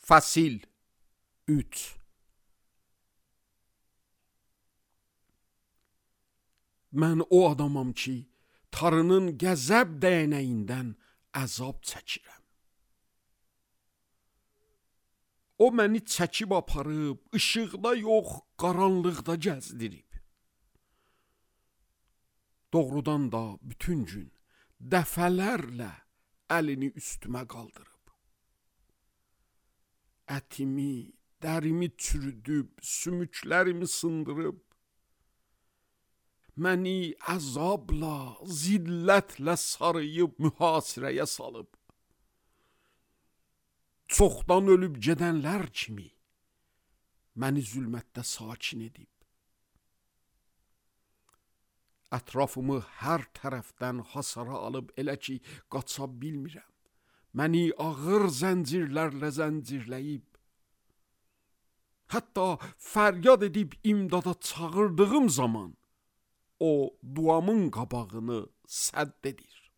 Fəsil 3. Mən o adamam ki, Tanrının qəzəb dəyənəyindən əzab çəkirəm. O məni çəkib aparıb, işıqda yox, qaranlıqda gəzdirib. Doğrudan da bütün gün dəfələrlə əlini üstümə qaldırıb. Ətimi, dərimi çürüdüb, sümüklərimi sındırıb, məni əzabla, zillətlə sarıyıb, mühasirəyə salıb. Çoxdan ölüb gedənlər kimi məni zülmətdə sakin edib. Ətrafımı hər tərəfdən hasara alıb elə ki, qaça bilmirəm. Məni ağır zəncirlərlə zəncirləyib. Hətta fəryad edib imdada çağırdığım zaman o duamın qabağını sədd edir.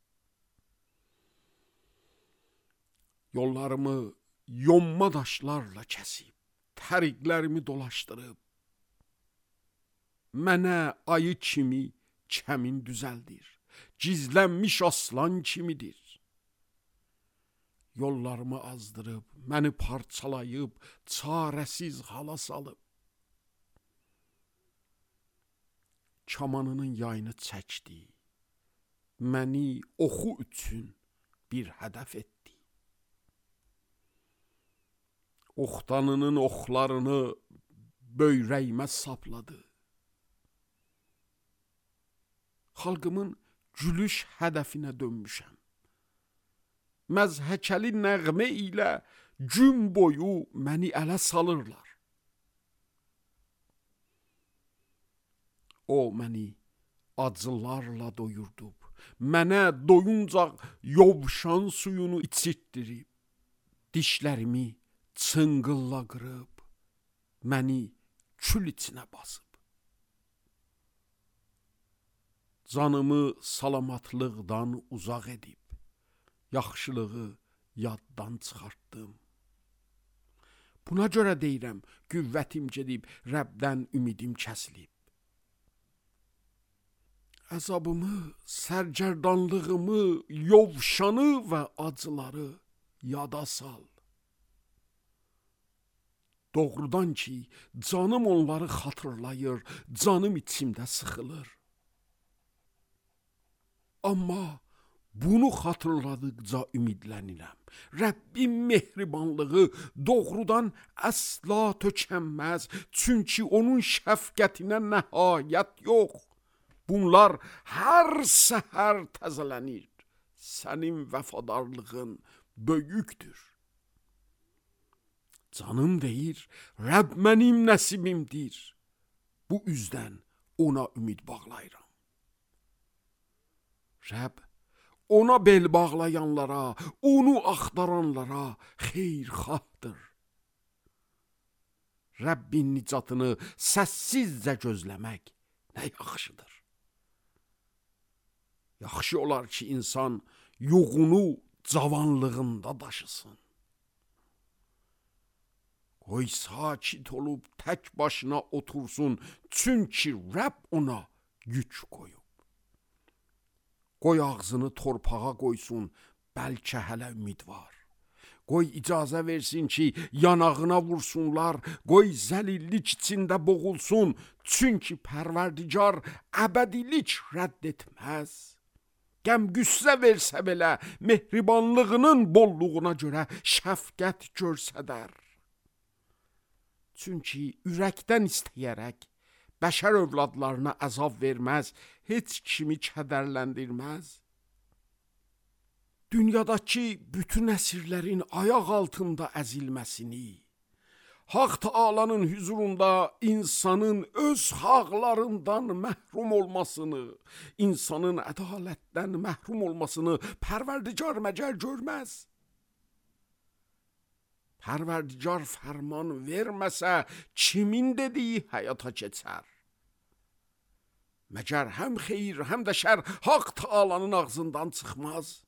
Yollarımı yonma daşlarla kəsib, təriqlərimi dolaşdırıb, mənə ayı kimi kəmin düzəldir, gizlənmiş aslan kimidir. Yollarımı azdırıb, məni parçalayıb, çarəsiz hala salıb. Kamanının yayını çəkdi, məni oxu üçün bir hədəf etdi. Oxtanının oxlarını böyrəyimə sapladı. Xalqımın gülüş hədəfinə dönmüşəm. Məzhəkəli nəğmə ilə gün boyu məni ələ salırlar. O məni acılarla doyurdub, mənə doyuncaq yovşan suyunu içirtdirib, dişlərimi çınqılla qırıb, məni kül içinə basıb. Canımı salamatlıqdan uzaq edib, yaxşılığı yaddan çıxartdım. Buna görə deyirəm, qüvvətim gedib, Rəbdən ümidim kəsilib. Əzabımı, sərgərdanlığımı, yovşanı və acıları yada sal. Doğrudan ki, canım onları xatırlayır, canım içimdə sıxılır. Amma bunu xatırladıqca ümidlənirəm. Rəbbin mehribanlığı doğrudan əsla tökənməz, çünki onun şəfqətinə nəhayət yox. Bunlar hər səhər təzələnir. Sənin vəfadarlığın böyükdür. Canım deyir, Rəbb mənim nəsibimdir. Bu üzdən ona ümid bağlayıram. Rəbb ona bel bağlayanlara, onu axtaranlara xeyirxahdır. Rəbbin nicatını səssizcə gözləmək nə yaxşıdır. Yaxşı olar ki, insan yoğunu cavanlığında daşısın. Qoy sakit olub tək başına otursun, çünki Rəbb ona yük qoyub. Qoy ağzını torpağa qoysun, bəlkə hələ ümid var. Qoy icazə versin ki, yanağına vursunlar, qoy zəlillik içində boğulsun, çünki Pərverdigar əbədilik rədd etməz. Qəm-qüssə versə belə, mehribanlığının bolluğuna görə şəfqət görsədər. Çünki ürəkdən istəyərək, bəşər övladlarına əzab verməz, heç kimi kədərləndirməz. Dünyadakı bütün əsirlərin ayaq altında əzilməsini, Haq Taalanın hüzurunda insanın öz haqlarından məhrum olmasını, insanın ədalətdən məhrum olmasını Pərverdigar məgər görməz. Pərverdigar fərman verməsə, kimin dediyi həyata keçər? Məgər həm xeyir, həm də şər Haq Taalanın ağzından çıxmaz.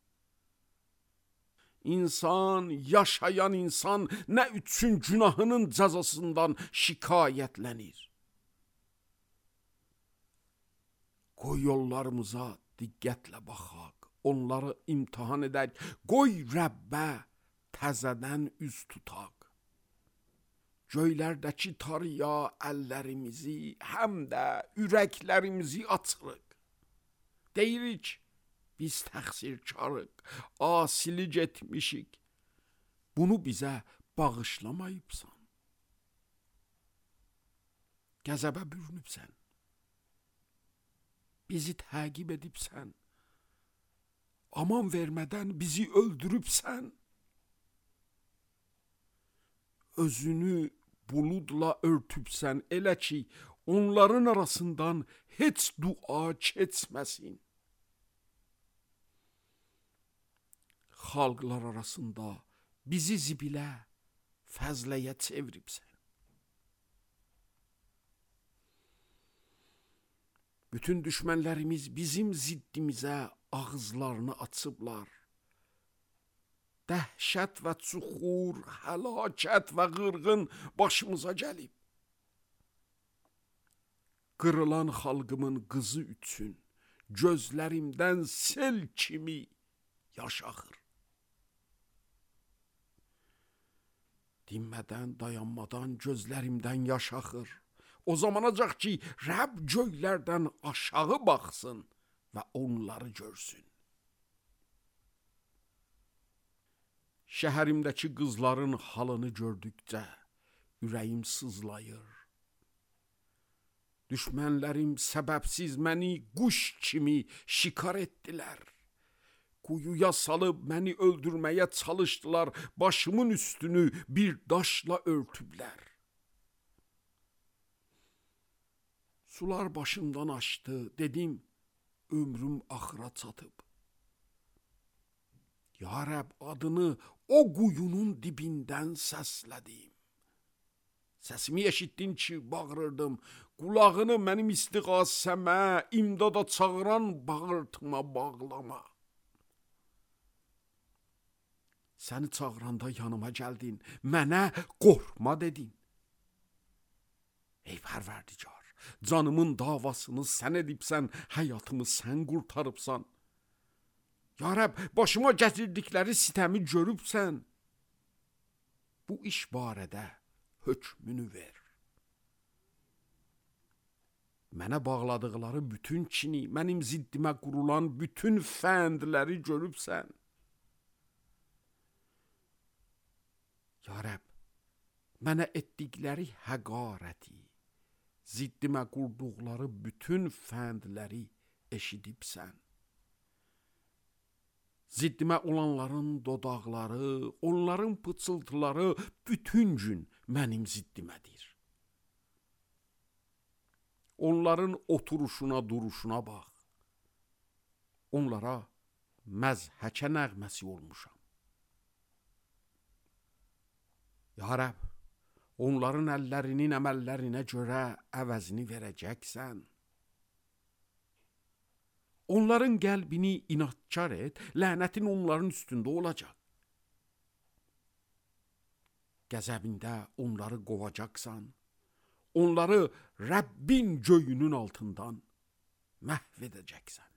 İnsan, yaşayan insan nə üçün günahının cəzasından şikayətlənir? Qoy yollarımıza diqqətlə baxaq, onları imtahan edək, qoy Rəbbə təzədən üz tutaq. Göylərdəki tarıya əllərimizi, həm də ürəklərimizi açırıq. Deyirik, biz təqsirkarıq, asilik etmişik. Bunu bizə bağışlamayıbsan. Qəzəbə bürünübsən. Bizi təqib edibsən. Aman vermədən bizi öldürübsən. Özünü buludla örtübsən, elə ki, onların arasından heç dua keçməsin. Xalqlar arasında bizi zibilə, fəzləyə çeviribsən. Bütün düşmənlərimiz bizim ziddimizə ağızlarını açıblar. Dəhşət və çuxur, həlakət və qırğın başımıza gəlib. Qırılan xalqımın qızı üçün gözlərimdən sel kimi yaş axır. Dinmədən, dayanmadan gözlərimdən yaş axır. O zamanacaq ki, Rəbb göylərdən aşağı baxsın və onları görsün. Şəhərimdəki qızların halını gördükcə ürəyim sızlayır. Düşmənlərim səbəbsiz məni quş kimi şikar etdilər. Quyuya salıb məni öldürməyə çalışdılar, başımın üstünü bir daşla örtüblər. Sular başımdan aşdı, dedim, ömrüm axıra çatıb. Ya Rəbb, adını o quyunun dibindən səslədim. Səsimi eşitdin ki, bağırırdım, qulağını mənim istiğasəmə, imdada çağıran bağırtıma bağlama. Səni çağıranda yanıma gəldin, mənə qorxma dedin. Ey Pərverdigar, canımın davasını sən edibsən, həyatımı sən qurtarıbsan. Ya Rəbb, başıma gətirdikləri sitəmi görübsən. Bu iş barədə hökmünü ver. Mənə bağladıqları bütün kini, mənim ziddimə qurulan bütün fəndləri görübsən. Ya Rəbb, mənə etdikləri həqarəti, ziddimə qurduqları bütün fəndləri eşidibsən. Ziddimə olanların dodaqları, onların pıçıltıları bütün gün mənim ziddimədir. Onların oturuşuna, duruşuna bax. Onlara məzhəkə nəğməsi olmuşam. Ya Rəbb, onların əllərinin əməllərinə görə əvəzini verəcəksən. Onların qəlbini inadkar et, lənətin onların üstündə olacaq. Qəzəbində onları qovacaqsan, onları Rəbbin göyünün altından məhv edəcəksən.